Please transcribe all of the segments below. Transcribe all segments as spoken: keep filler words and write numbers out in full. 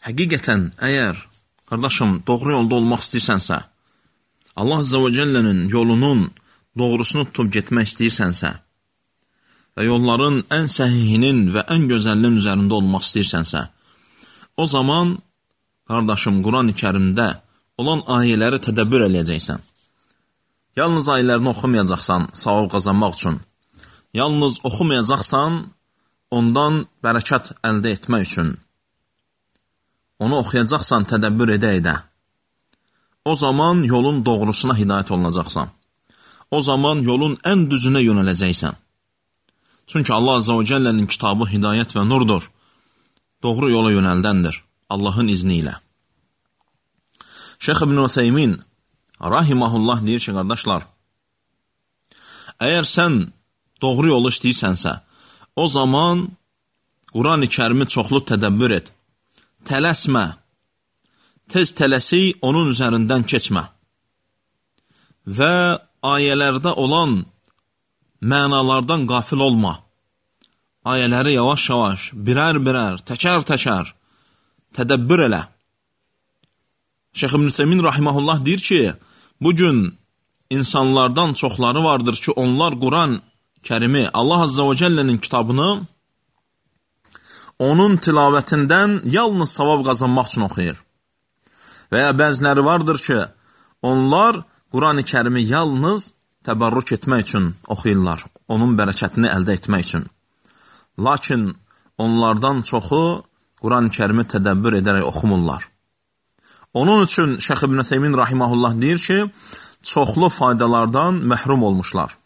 həqiqətən, əgər, qardaşım, doğru yolda olmaq istəyirsənsə, Allah Azza və Cəllənin yolunun doğrusunu tutub getmək istəyirsənsə və yolların ən səhihinin və ən gözəlinin üzərində olmaq istəyirsənsə, o zaman, qardaşım, Quran-ı Kərimdə olan ayələri tədəbbür eləyəcəksən. Yalnız ayələrini oxumayacaqsan savab qazanmaq üçün. Yalnız oxumayacaqsan ondan bərəkət əldə etmək üçün. Onu oxuyacaqsan tədəbbür edə-edə. O zaman yolun doğrusuna hidayət olunacaqsan. O zaman yolun ən düzünə yönələcəksən. Çünki Allah Azza və Cəllənin kitabı hidayət və nurdur. Doğru yola yönəldəndir. Allahın izni ilə. Şeyx İbn Ütheymin rahiməhullah deyir ki, qardaşlar, əgər sən doğru yolu istəyirsənsə, o zaman Quran-ı Kərimi çoxlu tədəbbür et. Tələsmə. Tez tələsi onun üzərindən keçmə. Və ayələrdə olan mənalardan qafil olma. Ayələri yavaş-yavaş, birər-birər, təkər-təkər tədəbbür elə. Şeyx İbn Ütheymin rahiməhullah deyir ki, bugün insanlardan çoxları vardır ki, onlar Quran Kərimi, Allah Azza və Cəllənin kitabını onun tilavətindən yalnız savab qazanmaq üçün oxuyur. Və ya bəziləri vardır ki, onlar Quran-ı Kərimi yalnız təbərrük etmək üçün oxuyurlar, onun bərəkətini əldə etmək üçün. Lakin onlardan çoxu Quran-ı Kərimi tədəbbür edərək oxumurlar. Onun üçün Şeyx İbn Ütheymin rahiməhullah deyir ki, çoxlu faydalardan məhrum olmuşlar.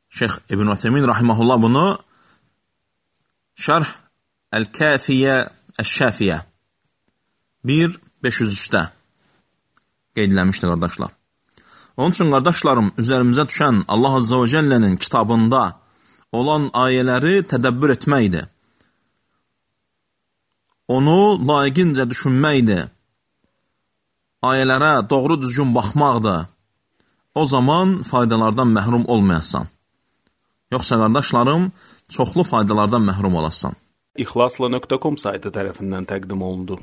Şeyx İbn Ütheymin rahiməhullah bunu Şərh Əl-Kəfiyyə Əş-Şəfiyyə bir beş yüz üçdə qeydləmişdir, qardaşlar. Onun üçün, qardaşlarım, üzərimizə düşən Allah Azza və Cəllənin kitabında olan ayələri tədəbbür etməkdir. Onu layiqincə düşünməkdir. Ayələrə doğru düzgün baxmaqdır. O zaman faydalardan məhrum olmayasan. Yoxsa, qardaşlarım, çoxlu faydalardan məhrum olasan. İxlasla nöqtə com saytı tərəfindən təqdim olundu.